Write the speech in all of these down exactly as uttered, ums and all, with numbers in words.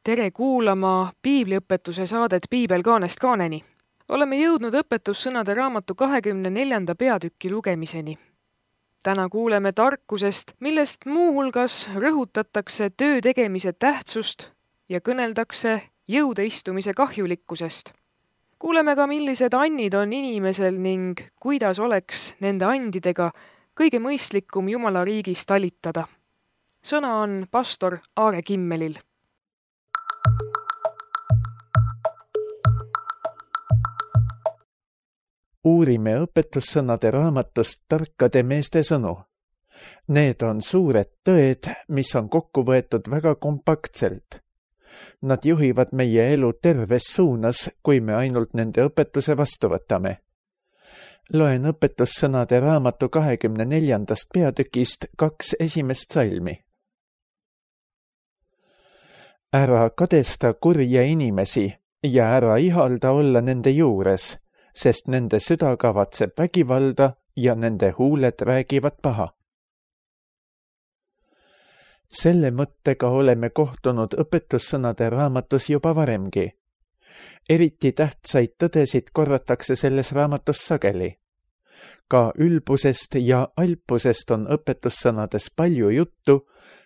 Tere kuulama piibliõpetuse saadet Piibel kaanest kaaneni. Oleme jõudnud õpetussõnade raamatu kahekümne neljanda peatüki lugemiseni. Täna kuuleme tarkusest, millest muuhulgas rõhutatakse töö tegemise tähtsust ja kõneldakse jõudeistumise kahjulikkusest. Kuuleme ka, millised annid on inimesel ning kuidas oleks nende andidega kõige mõistlikum Jumala riigis talitada. Sõna on pastor Aare Kimmelil. Uurime õpetussõnade raamatust tarkade meeste sõnu. Need on suured tõed, mis on kokku võetud väga kompaktselt. Nad juhivad meie elu terves suunas, kui me ainult nende õpetuse vastu võtame. Loen õpetussõnade raamatu kahekümne neljandast peatükist kaks esimest salmi. Ära kadesta kurja inimesi ja ära ihalda olla nende juures, sest nende süda kavatseb vägivalda ja nende huuled räägivad paha. Selle mõttega oleme kohtunud õpetussõnade raamatus juba varemgi. Eriti tähtsaid tõdesid korratakse selles raamatus sageli. Ka ülbusest ja alpusest on õpetussõnades palju juttu,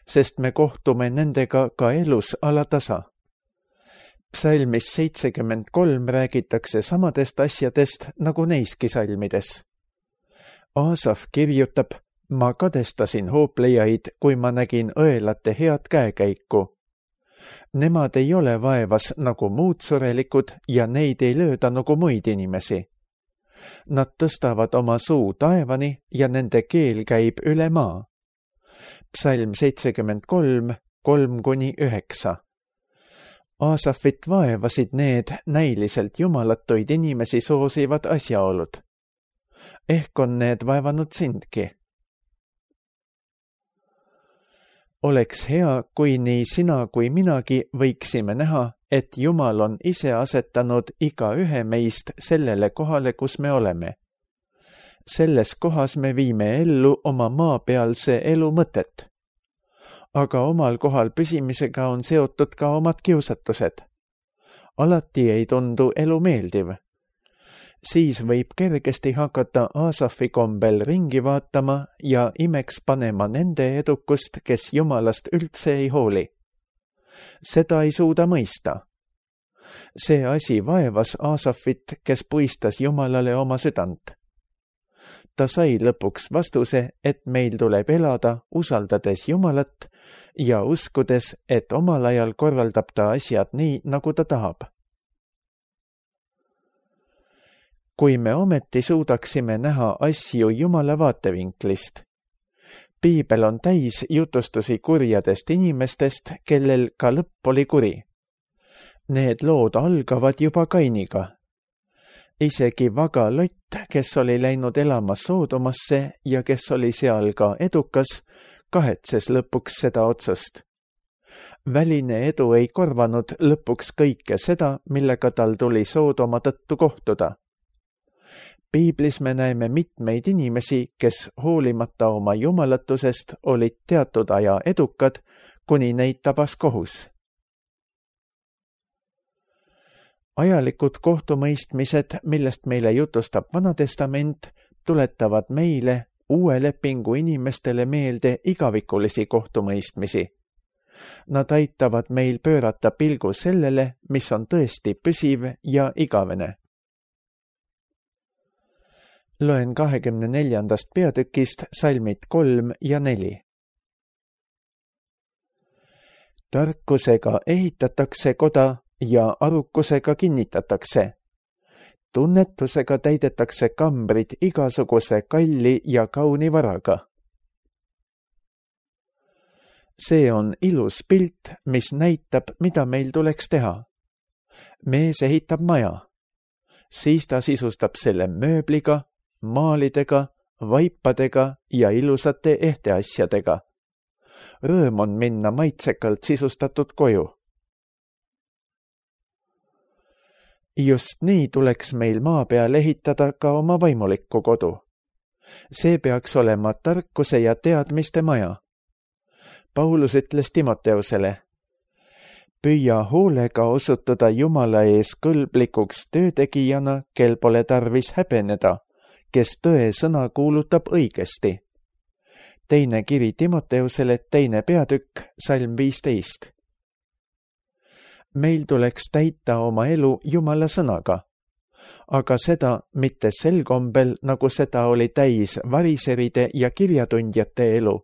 sest me kohtume nendega ka elus alatasa. Psalmis seitsekümmend kolm räägitakse samadest asjadest nagu neiski salmides. Aasaf kirjutab, ma kadestasin hooplejaid, kui ma nägin õelate head käekäiku. Nemad ei ole vaevas nagu muud surelikud ja neid ei lööda nagu muid inimesi. Nad tõstavad oma suu taevani ja nende keel käib üle maa. Psalm seitsekümmend kolm, kolm kuni üheksa. Aasafit vaevasid need näiliselt jumalatuid inimesi soosivad asjaolud. Ehk on need vaevanud sindki. Oleks hea, kui nii sina kui minagi võiksime näha, et Jumal on ise asetanud iga ühe meist sellele kohale, kus me oleme. Selles kohas me viime ellu oma maapealse elu mõtet. Aga omal kohal püsimisega on seotud ka omad kiusatused. Alati ei tundu elu meeldiv. Siis võib kergesti hakata Aasafi kombel ringi vaatama ja imeks panema nende edukust, kes Jumalast üldse ei hooli. Seda ei suuda mõista. See asi vaevas Aasafit, kes puistas Jumalale oma südant. Ta sai lõpuks vastuse, et meil tuleb elada usaldades Jumalat ja uskudes, et omal ajal korraldab ta asjad nii, nagu ta tahab. Kui me ometi suudaksime näha asju Jumala vaatevinklist. Piibel on täis jutustusi kurjadest inimestest, kellel ka lõpp oli kuri. Need lood algavad juba Kainiga. Isegi vaga Lott, kes oli läinud elama Soodomasse ja kes oli seal ka edukas, kahetses lõpuks seda otsust. Väline edu ei korvanud lõpuks kõike seda, millega tal tuli Soodoma tõttu kohtuda. Piiblis me näeme mitmeid inimesi, kes hoolimata oma jumalatusest olid teatud aja edukad, kuni neid tabas kohus. Ajalikud kohtumõistmised, millest meile jutustab Vana Testament, tuletavad meile uue lepingu inimestele meelde igavikulisi kohtumõistmisi. Nad aitavad meil pöörata pilgu sellele, mis on tõesti püsiv ja igavene. Loen kahekümne neljandast peatükist salmid kolm ja neli. Tarkusega ehitatakse koda ja arukusega kinnitatakse. Tunnetusega täidetakse kambrid igasuguse kalli ja kauni varaga. See on ilus pilt, mis näitab, mida meil tuleks teha. Mees ehitab maja. Siis ta sisustab selle mööbliga, maalidega, vaipadega ja ilusate ehteasjadega. Rõõm on minna maitsekalt sisustatud koju. Just nii tuleks meil maa peal ehitada ka oma vaimulikku kodu. See peaks olema tarkuse ja teadmiste maja. Paulus ütles Timoteusele, püüa hoolega osutuda Jumala ees kõlblikuks töötegijana, kel pole tarvis häbeneda, kes tõe sõna kuulutab õigesti. Teine kiri Timoteusele, teine peatükk, salm viisteist. Meil tuleks täita oma elu Jumala sõnaga, aga seda mitte sel kombel, nagu seda oli täis variseride ja kirjatundjate elu,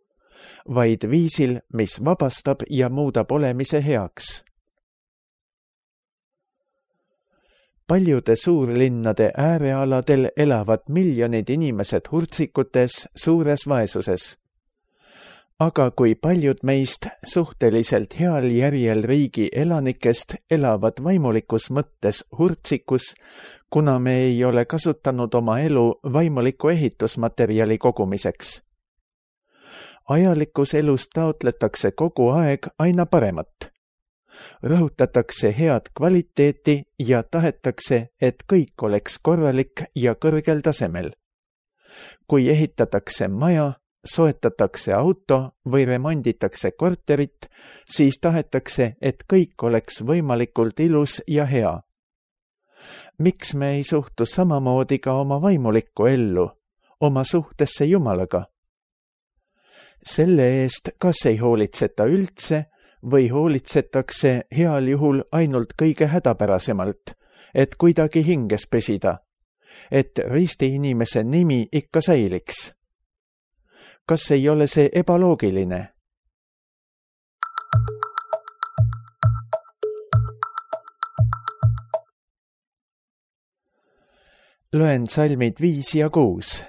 vaid viisil, mis vabastab ja muudab olemise heaks. Paljude suurlinnade äärealadel elavad miljonid inimesed hurtsikutes suures vaesuses. Aga kui paljud meist suhteliselt heal järjel riigi elanikest elavad vaimulikus mõttes hurtsikus, kuna me ei ole kasutanud oma elu vaimuliku ehitusmaterjali kogumiseks. Ajalikus elus taotletakse kogu aeg aina paremat. Rõhutatakse head kvaliteeti ja tahetakse, et kõik oleks korralik ja kõrgel tasemel. Kui ehitatakse maja, soetatakse auto või remonditakse korterit, siis tahetakse, et kõik oleks võimalikult ilus ja hea. Miks me ei suhtu samamoodi ka oma vaimulikku ellu, oma suhtesse Jumalaga? Selle eest kas ei hoolitseta üldse või hoolitsetakse heal juhul ainult kõige hädapärasemalt, et kuidagi hinges püsida, et risti inimese nimi ikka säiliks. Kas ei ole see ebaloogiline? Loen salmid viis ja kuus.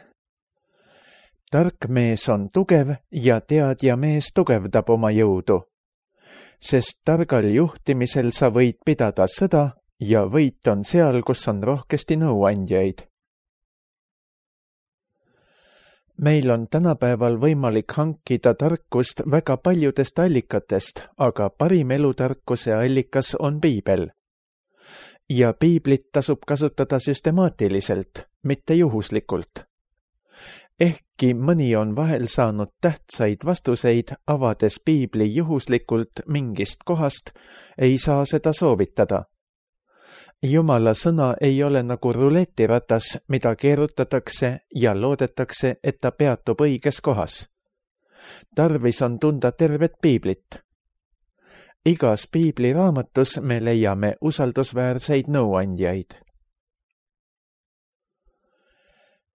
Tark mees on tugev ja teadja mees tugevdab oma jõudu, sest targal juhtimisel sa võid pidada sõda ja võit on seal, kus on rohkesti nõuandjaid. Meil on tänapäeval võimalik hankida tarkust väga paljudest allikatest, aga parim elutarkuse allikas on piibel. Ja piiblit tasub kasutada süstemaatiliselt, mitte juhuslikult. Ehkki mõni on vahel saanud tähtsaid vastuseid, avades piibli juhuslikult mingist kohast, ei saa seda soovitada. Jumala sõna ei ole nagu ruletiratas, mida keerutatakse ja loodetakse, et ta peatub õiges kohas. Tarvis on tunda tervet piiblit. Igas piibliraamatus me leiame usaldusväärseid nõuandjaid.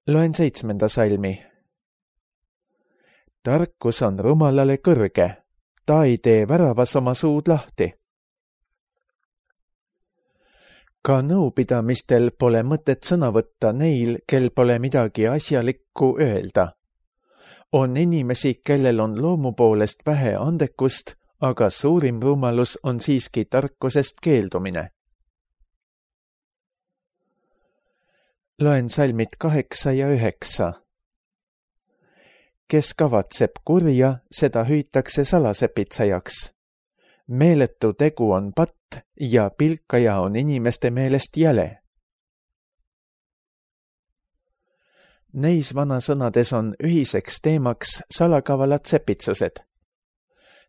Loen seitsmenda salmi. Tarkus on rumalale kõrge, ta ei tee väravas oma suud lahti. Ka nõupidamistel pole mõtet sõna võtta neil, kel pole midagi asjalikku öelda. On inimesi, kellel on loomu poolest vähe andekust, aga suurim rumalus on siiski tarkusest keeldumine. Loen salmid kaheksa ja üheksa. Kes kavatseb kurja, seda hüütakse salasepitsajaks. Meeletu tegu on patt ja pilkaja on inimeste meelest jäle. Neis vanasõnades on ühiseks teemaks salakavalad sepitsused.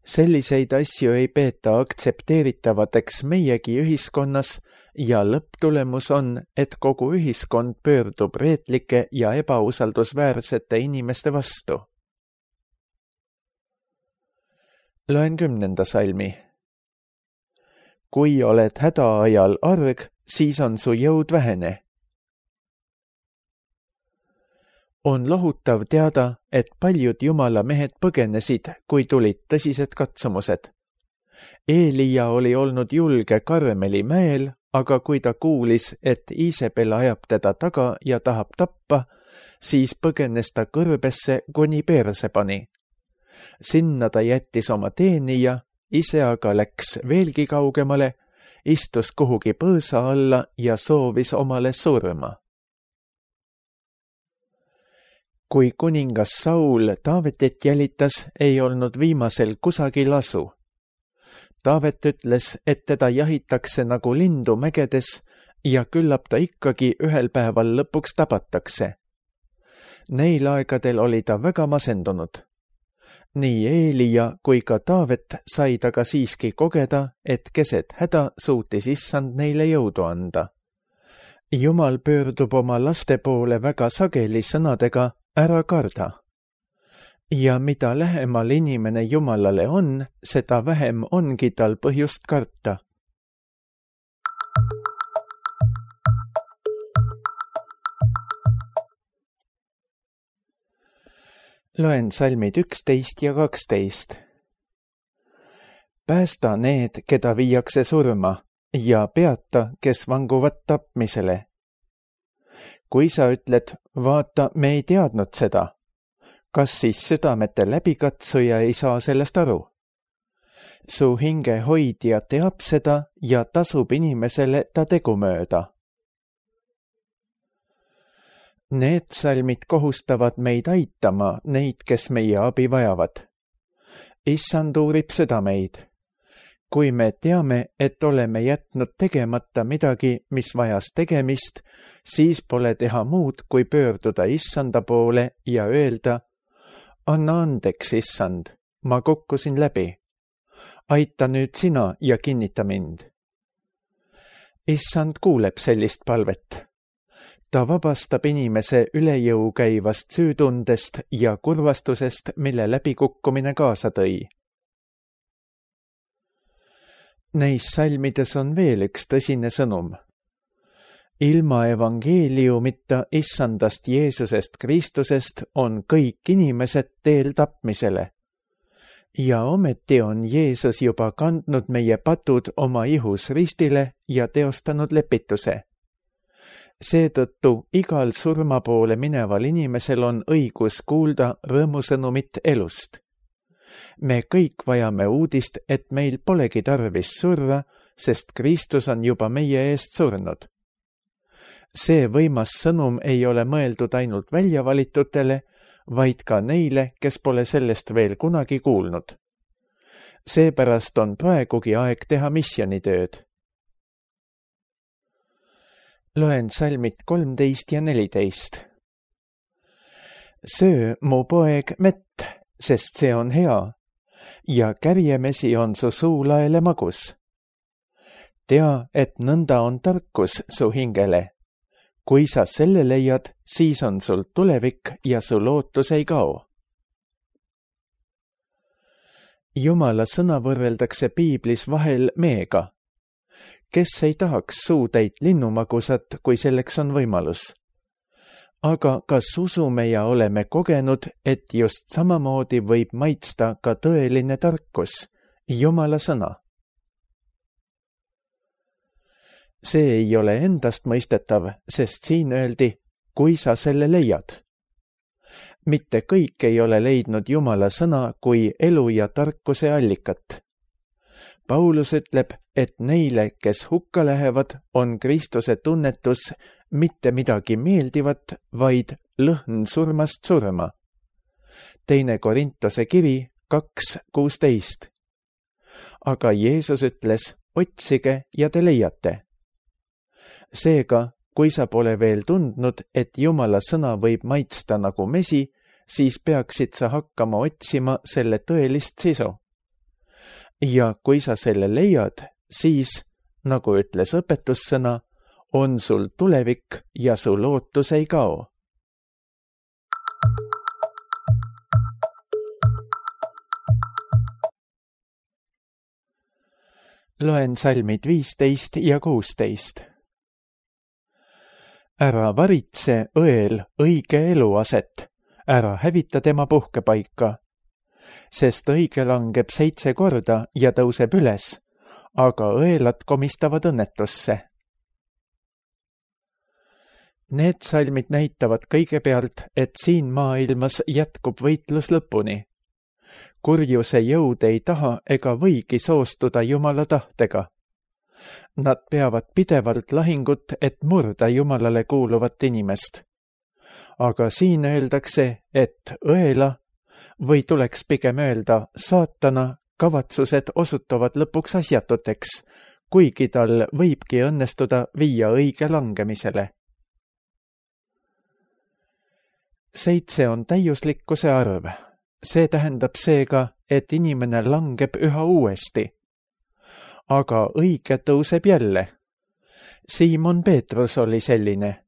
Selliseid asju ei peeta aktsepteeritavateks meiegi ühiskonnas ja lõpptulemus on, et kogu ühiskond pöördub reetlike ja ebausaldusväärsete inimeste vastu. Loen kümnenda salmi. Kui oled hädaajal arg, siis on su jõud vähene. On lohutav teada, et paljud Jumala mehed põgenesid, kui tulid tõsised katsumused. Eelia oli olnud julge Karmeli mäel, aga kui ta kuulis, et Iisabel ajab teda taga ja tahab tappa, siis põgenes ta kõrbesse, kuni perse pani. Sinna ta jättis oma teenija, ise aga läks veelgi kaugemale, istus kuhugi põõsa alla ja soovis omale surma. Kui kuningas Saul Taavetit jälitas, ei olnud viimasel kusagil asu. Taavet ütles, et teda jahitakse nagu lindu mägedes ja küllap ta ikkagi ühel päeval lõpuks tabatakse. Neil aegadel oli ta väga masendunud. nii Eelia kui ka Taavet said aga siiski kogeda, et keset häda suutis issand neile jõudu anda. Jumal pöördub oma laste poole väga sageli sõnadega ära karda. Ja mida lähemal inimene Jumalale on, seda vähem ongi tal põhjust karta. Loen salmid üksteist ja kaksteist. Päästa need, keda viiakse surma, ja peata, kes vanguvad tapmisele. Kui sa ütled, vaata, me ei teadnud seda, kas siis südamete läbikatsuja ei saa sellest aru? Su hinge hoidja teab seda ja tasub inimesele ta tegu mööda. Need salmid kohustavad meid aitama neid, kes meie abi vajavad. Issand uurib südameid. Kui me teame, et oleme jätnud tegemata midagi, mis vajas tegemist, siis pole teha muud, kui pöörduda issanda poole ja öelda, anna andeks, issand, ma kukkusin läbi. Aita nüüd sina ja kinnita mind. Issand kuuleb sellist palvet. Ta vabastab inimese üle jõu käivast süütundest ja kurvastusest, mille läbikukkumine kaasa tõi. Neis salmides on veel üks tõsine sõnum. Ilma evangeeliumita issandast Jeesusest Kristusest on kõik inimesed teel tapmisele. Ja ometi on Jeesus juba kandnud meie patud oma ihus ristile ja teostanud lepituse. Seetõttu igal surma poole mineval inimesel on õigus kuulda rõõmusõnumit elust. Me kõik vajame uudist, et meil polegi tarvis surra, sest Kristus on juba meie eest surnud. See võimas sõnum ei ole mõeldud ainult väljavalitutele, vaid ka neile, kes pole sellest veel kunagi kuulnud. Seepärast on praegugi aeg teha misjonitööd. Loen salmid kolmteist ja neliteist. Söö, mu poeg, mett, sest see on hea, ja kärjemesi on su suulaele magus. Tea, et nõnda on tarkus su hingele. Kui sa selle leiad, siis on sul tulevik ja su lootus ei kao. Jumala sõna võrreldakse piiblis vahel meega. Kes ei tahaks suutäit linnumagusat, kui selleks on võimalus? Aga kas usume ja oleme kogenud, et just samamoodi võib maitsta ka tõeline tarkus, Jumala sõna? See ei ole endast mõistetav, sest siin öeldi, kui sa selle leiad. Mitte kõik ei ole leidnud Jumala sõna kui elu ja tarkuse allikat. Paulus ütleb, et neile, kes hukka lähevad, on Kristuse tunnetus mitte midagi meeldivat, vaid lõhn surmast surma. Teine Korintuse kiri kaks kuusteist. Aga Jeesus ütles, otsige ja te leiate. Seega, kui sa pole veel tundnud, et Jumala sõna võib maitsta nagu mesi, siis peaksid sa hakkama otsima selle tõelist sisu. Ja kui sa selle leiad, siis, nagu ütles õpetussõna, on sul tulevik ja su lootus ei kao. Loen salmid viisteist ja kuusteist. Ära varitse õel õige eluaset, ära hävita tema puhkepaika, sest õige langeb seitse korda ja tõuseb üles, aga õelad komistavad õnnetusse. Need salmid näitavad kõigepealt, et siin maailmas jätkub võitlus lõpuni. Kurjuse jõud ei taha ega võigi soostuda Jumala tahtega. Nad peavad pidevalt lahingut, et murda Jumalale kuuluvat inimest. Aga siin öeldakse, et õela, või tuleks pigem öelda saatana, kavatsused osutuvad lõpuks asjatuteks, kuigi tal võibki õnnestuda viia õige langemisele. Seitse on täiuslikkuse arv. see tähendab seega, et inimene langeb üha uuesti. Aga õige tõuseb jälle. Siimon Peetrus oli selline.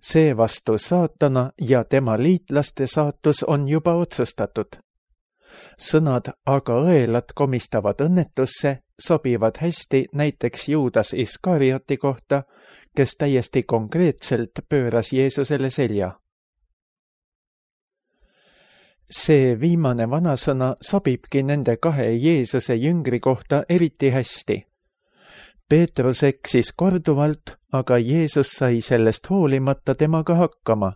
Seevastu saatana ja tema liitlaste saatus on juba otsustatud. Sõnad aga õelad komistavad õnnetusse sobivad hästi näiteks Juudas Iskarioti kohta, kes täiesti konkreetselt pööras Jeesusele selja. See viimane vanasõna sobibki nende kahe Jeesuse jüngri kohta eriti hästi. Peetrus eksis korduvalt, aga Jeesus sai sellest hoolimata temaga hakkama.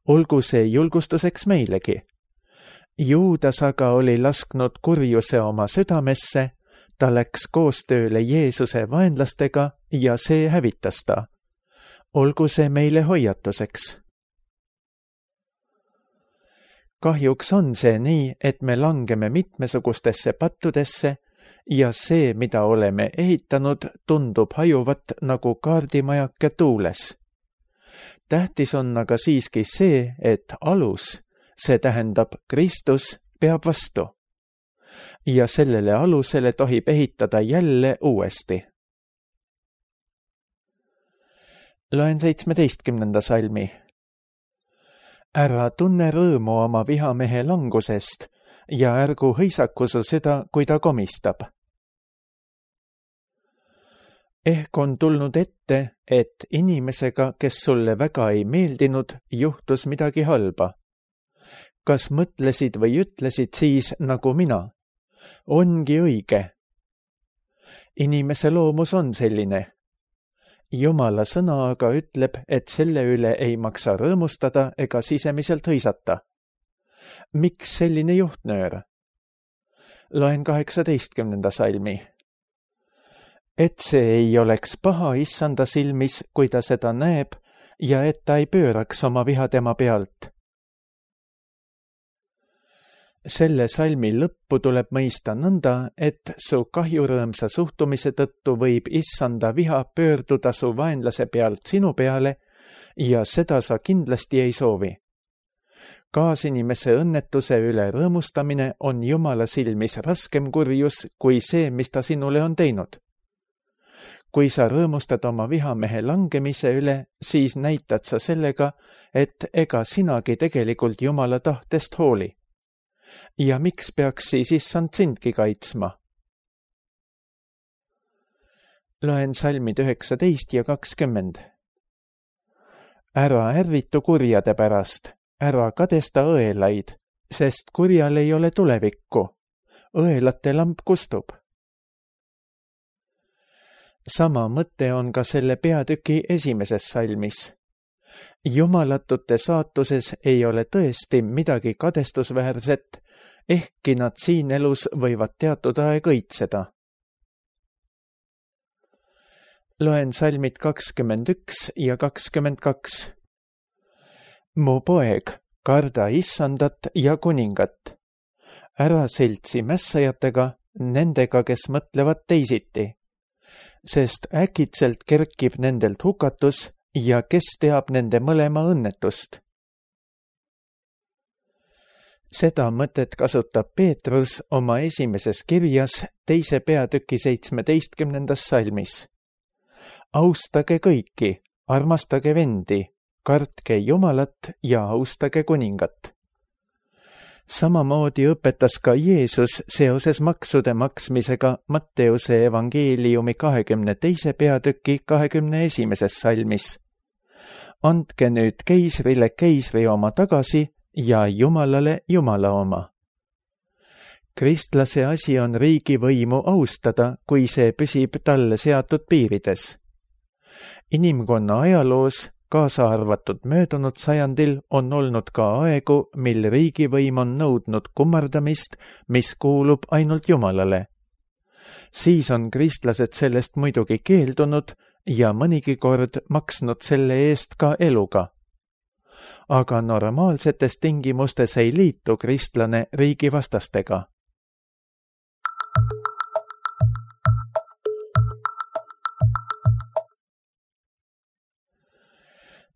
Olgu see julgustuseks meilegi. Juudas aga oli lasknud kurjuse oma südamesse, ta läks koostööle Jeesuse vaenlastega ja see hävitas ta. Olgu see meile hoiatuseks. Kahjuks on see nii, et me langeme mitmesugustesse pattudesse ja see, mida oleme ehitanud, tundub hajuvat nagu kaardimajake tuules. Tähtis on aga siiski see, et alus, see tähendab Kristus, peab vastu. Ja sellele alusele tohib ehitada jälle uuesti. Loen seitsmeteistkümnenda salmi. Ära tunne rõõmu oma vihamehe langusest ja ärgu hõisaku su süda, kui ta komistab. Ehk on tulnud ette, et inimesega, kes sulle väga ei meeldinud, juhtus midagi halba. Kas mõtlesid või ütlesid siis nagu mina? Ongi õige. Inimese loomus on selline. Jumala sõna aga ütleb, et selle üle ei maksa rõõmustada ega sisemiselt hõisata. Miks selline juhtnöör? Loen kaheksateistkümnenda salmi. Et see ei oleks paha issanda silmis, kui ta seda näeb, ja et ta ei pööraks oma viha tema pealt. Selle salmi lõppu tuleb mõista nõnda, et su kahjurõõmsa suhtumise tõttu võib issanda viha pöörduda su vaenlase pealt sinu peale ja seda sa kindlasti ei soovi. Kaasinimese õnnetuse üle rõõmustamine on Jumala silmis raskem kurjus kui see, mis ta sinule on teinud. Kui sa rõõmustad oma vihamehe langemise üle, siis näitad sa sellega, et ega sinagi tegelikult Jumala tahtest hooli. Ja miks peaks siis issand sindki kaitsma? Loen salmid üheksateist ja kakskümmend. Ära ärritu kurjade pärast, ära kadesta õelaid, sest kurjal ei ole tulevikku. Õelate lamp kustub. Sama mõte on ka selle peatüki esimeses salmis. Jumalatute saatuses ei ole tõesti midagi kadestusväärset, ehkki nad siin elus võivad teatud aeg õitseda. Loen salmid kakskümmend üks ja kakskümmend kaks. Mu poeg, karda issandat ja kuningat. Ära seltsi mässajatega, nendega, kes mõtlevad teisiti, sest äkitselt kerkib nendelt hukatus ja kes teab nende mõlema õnnetust. Seda mõtet kasutab Peetrus oma esimeses kirjas teise peatüki seitsmeteistkümnendas salmis. Austage kõiki, armastage vendi, kartke Jumalat ja austage kuningat. Samamoodi õpetas ka Jeesus seoses maksude maksmisega Matteuse evangeeliumi kahekümne teise peatüki kahekümne esimeses salmis. Andke nüüd keisrile keisri oma tagasi ja Jumalale Jumala oma. Kristlase asi on riigivõimu austada, kui see püsib talle seatud piirides. Inimkonna ajaloos, kaasa arvatud möödunud sajandil, on olnud ka aegu, mil riigivõim on nõudnud kummardamist, mis kuulub ainult Jumalale. Siis on kristlased sellest muidugi keeldunud ja mõnigi kord maksnud selle eest ka eluga. Aga normaalsetes tingimustes ei liitu kristlane riigivastastega.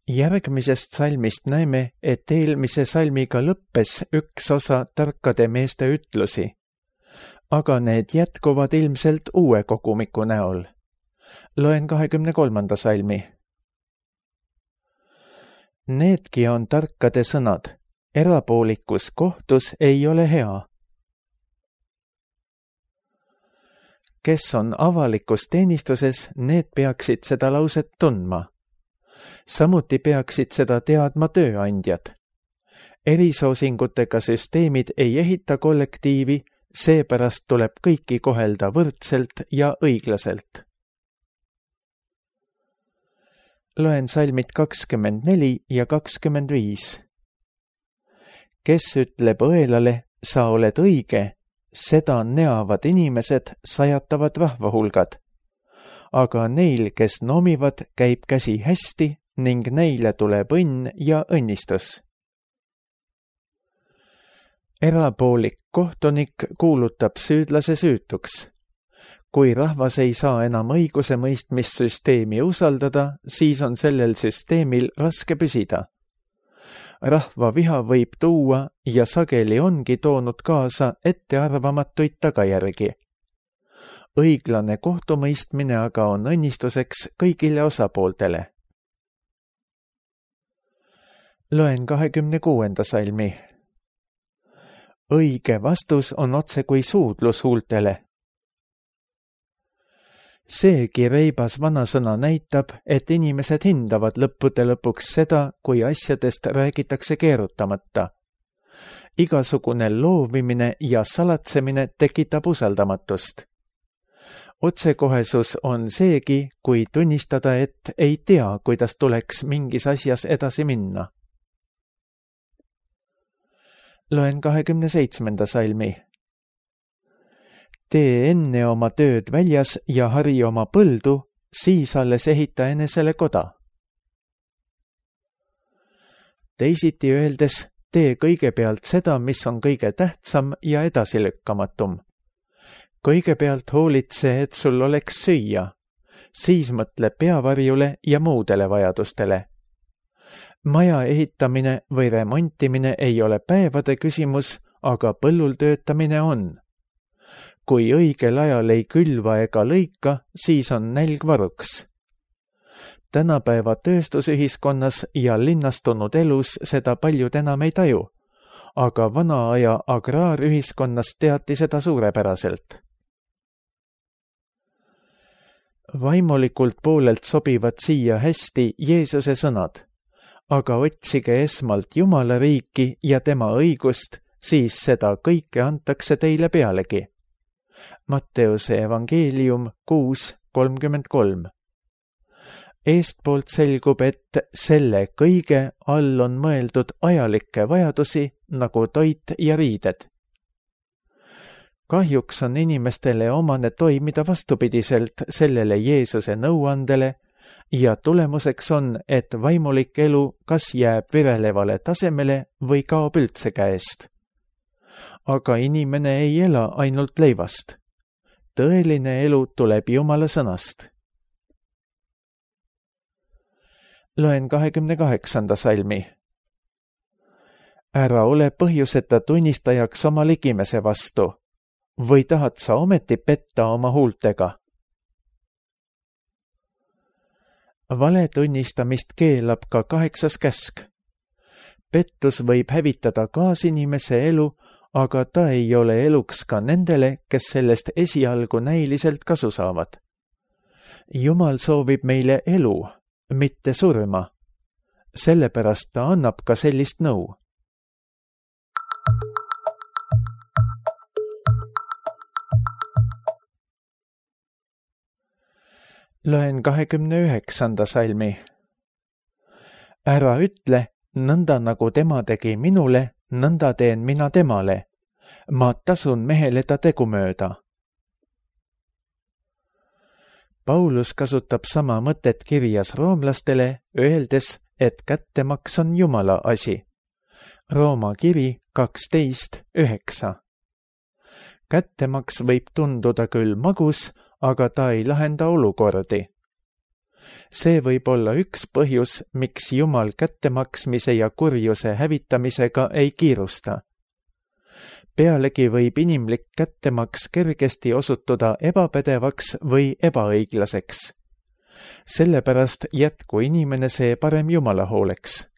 Järgmisest salmist näeme, et eelmise salmiga lõppes üks osa tarkade meeste ütlusi, aga need jätkuvad ilmselt uue kogumiku näol. Loen kahekümne kolmanda salmi. Needki on tarkade sõnad. Erapoolikus kohtus ei ole hea. Kes on avalikus teenistuses, need peaksid seda lauset tundma. Samuti peaksid seda teadma tööandjad. Erisoosingutega süsteemid ei ehita kollektiivi, seepärast tuleb kõiki kohelda võrdselt ja õiglaselt. Loen salmid kakskümmend neli ja kakskümmend viis. Kes ütleb õelale, sa oled õige, seda neavad inimesed sajatavad rahvahulgad, aga neil, kes nomivad, käib käsi hästi ning neile tuleb õnn ja õnnistus. Erapoolik kohtunik kuulutab süüdlase süütuks. Kui rahvas ei saa enam õiguse mõistmissüsteemi usaldada, siis on sellel süsteemil raske püsida. Rahva viha võib tuua ja sageli ongi toonud kaasa ettearvamatuid tagajärgi. Õiglane kohtumõistmine aga on õnnistuseks kõigile osapooltele. Loen kahekümne kuuenda salmi. Õige vastus on otse kui suudlus huultele. Seegi reibas vanasõna näitab, et inimesed hindavad lõppude lõpuks seda, kui asjadest räägitakse keerutamata. Igasugune loovimine ja salatsemine tekitab usaldamatust. Otsekohesus on seegi, kui tunnistada, et ei tea, kuidas tuleks mingis asjas edasi minna. Loen kahekümne seitsmenda salmi. Tee enne oma tööd väljas ja hari oma põldu, siis alles ehita enesele koda. Teisiti öeldes, tee kõigepealt seda, mis on kõige tähtsam ja edasilükkamatum. Kõigepealt hoolitse, et sul oleks süüa, siis mõtle peavarjule ja muudele vajadustele. Maja ehitamine või remontimine ei ole päevade küsimus, aga põllul töötamine on. Kui õigel ajal ei külva ega lõika, siis on nälg varuks. Tänapäeva tööstusühiskonnas ja linnastunud elus seda paljud enam ei taju, aga vana aja agraarühiskonnas teati seda suurepäraselt. Vaimulikult poolelt sobivad siia hästi Jeesuse sõnad, aga otsige esmalt Jumala riiki ja tema õigust, siis seda kõike antakse teile pealegi. Matteuse evangeelium kuus kolmkümmend kolm. Eestpoolt selgub, et selle kõige all on mõeldud ajalikke vajadusi nagu toit ja riided. Kahjuks on inimestele omane toimida vastupidiselt sellele Jeesuse nõuandele ja tulemuseks on, et vaimulik elu kas jääb virelevale tasemele või kaob üldse käest. Aga inimene ei ela ainult leivast. Tõeline elu tuleb Jumala sõnast. Loen kahekümne kaheksanda salmi. Ära ole põhjuseta tunnistajaks oma ligimese vastu, või tahad sa ometi petta oma huultega? Vale tunnistamist keelab ka kaheksas käsk. Pettus võib hävitada kaasinimese elu, aga ta ei ole eluks ka nendele, kes sellest esialgu näiliselt kasu saavad. Jumal soovib meile elu, mitte surma. Sellepärast ta annab ka sellist nõu. Loen kahekümne üheksanda salmi. Ära ütle, nõnda nagu tema tegi minule, nõnda teen mina temale. Ma tasun mehele ta tegumööda. Paulus kasutab sama mõtet kirjas roomlastele, öeldes, et kättemaks on Jumala asi. Rooma kiri kaksteist üheksa. Kättemaks võib tunduda küll magus, aga ta ei lahenda olukordi. See võib olla üks põhjus, miks Jumal kättemaksmise ja kurjuse hävitamisega ei kiirusta. Pealegi võib inimlik kättemaks kergesti osutuda ebapädevaks või ebaõiglaseks. Sellepärast jätku inimene see parem Jumala hooleks.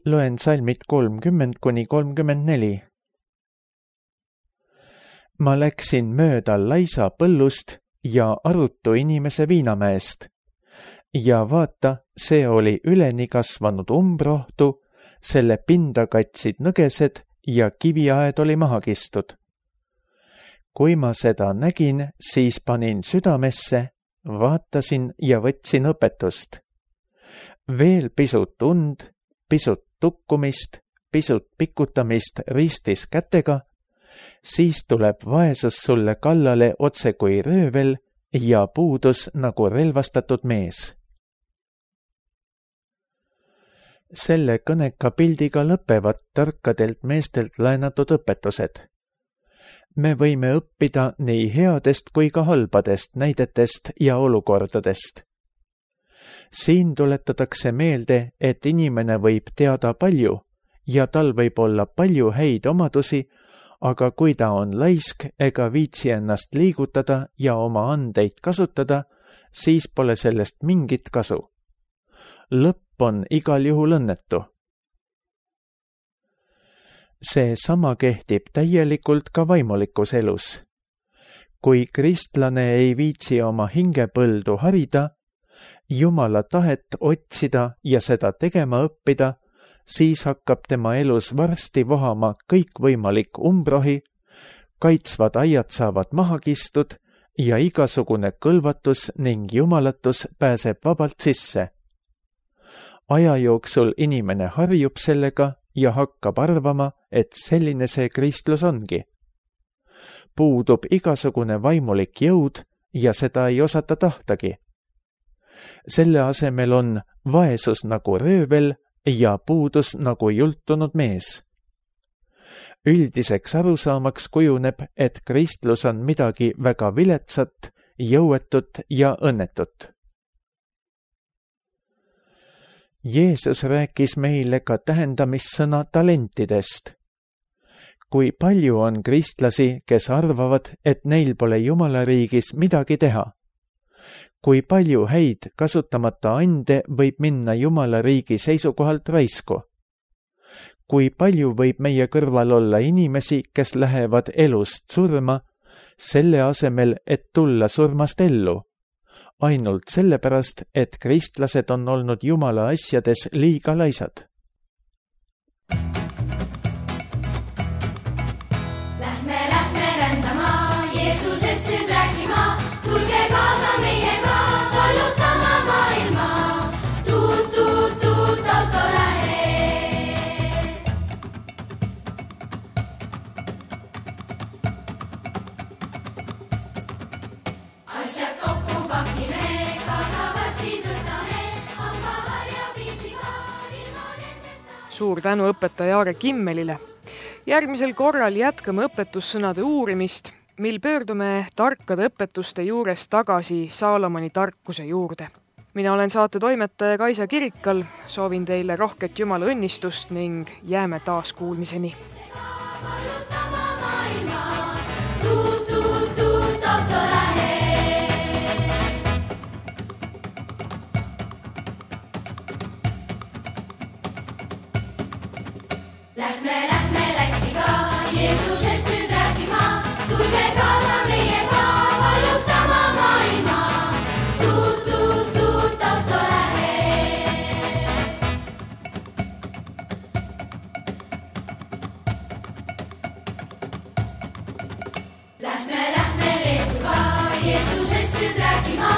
Loen salmid kolmkümmend kuni kolmkümmend neli. Ma läksin mööda laisa põllust ja arutu inimese viinamäest. Ja vaata, see oli üleni kasvanud umbrohtu, selle pinda katsid nõgesed ja kiviaed oli maha kistud. Kui ma seda nägin, siis panin südamesse, vaatasin ja võtsin õpetust. Veel pisut und, pisut tukkumist, pisut pikutamist ristis kätega, siis tuleb vaesus sulle kallale otse kui röövel ja puudus nagu relvastatud mees. Selle kõneka pildiga lõpevad tarkadelt meestelt laenatud õpetused. Me võime õppida nii headest kui ka halbadest näidetest ja olukordadest. Siin tuletatakse meelde, et inimene võib teada palju ja tal võib olla palju häid omadusi, aga kui ta on laisk ega viitsi ennast liigutada ja oma andeid kasutada, siis pole sellest mingit kasu. Lõpp on igal juhul õnnetu. See sama kehtib täielikult ka vaimulikus elus. Kui kristlane ei viitsi oma hingepõldu harida, Jumala tahet otsida ja seda tegema õppida, siis hakkab tema elus varsti vohama kõikvõimalik umbrohi, kaitsvad aiad saavad maha kistud ja igasugune kõlvatus ning jumalatus pääseb vabalt sisse. Aja jooksul inimene harjub sellega ja hakkab arvama, et selline see kristlus ongi. Puudub igasugune vaimulik jõud ja seda ei osata tahtagi. Selle asemel on vaesus nagu röövel ja puudus nagu jultunud mees. Üldiseks arusaamaks kujuneb, et kristlus on midagi väga viletsat, jõuetut ja õnnetut. Jeesus rääkis meile ka tähendamissõna talentidest. Kui palju on kristlasi, kes arvavad, et neil pole Jumala riigis midagi teha? Kui palju häid kasutamata ande võib minna Jumala riigi seisukohalt raisku? Kui palju võib meie kõrval olla inimesi, kes lähevad elust surma, selle asemel, et tulla surmast ellu? Ainult sellepärast, et kristlased on olnud Jumala asjades liiga laisad. Lähme, lähme rändama, Jeesusest nüüd rääkima, tulge kaasa meiega, vallutama maailma. Tuut, tuut, tuut, auto lähe. Asjad kokku pakime, kaasa passid võtame, hambaharja pildiga ilma nendeta. Suur tänu õpetaja Aare Kimmelile. Järgmisel korral jätkame õpetussõnade uurimist, mil pöördume tarkade õpetuste juures tagasi Saalomoni tarkuse juurde. Mina olen saate toimetaja Kaisa Kirikal, soovin teile rohket Jumala õnnistust ning jääme taas kuulmiseni. Vallutama maailma, tuut, tuut, tuut, auto lähe. Lähme, lähme Lätiga, Jeesusest nüüd rääkima, tulge kaasa meiega, vallutama maailma. Tuut, tuut, tuut, auto lähe. Lähme, lähme Leetuga, Jeesusest nüüd rääkima,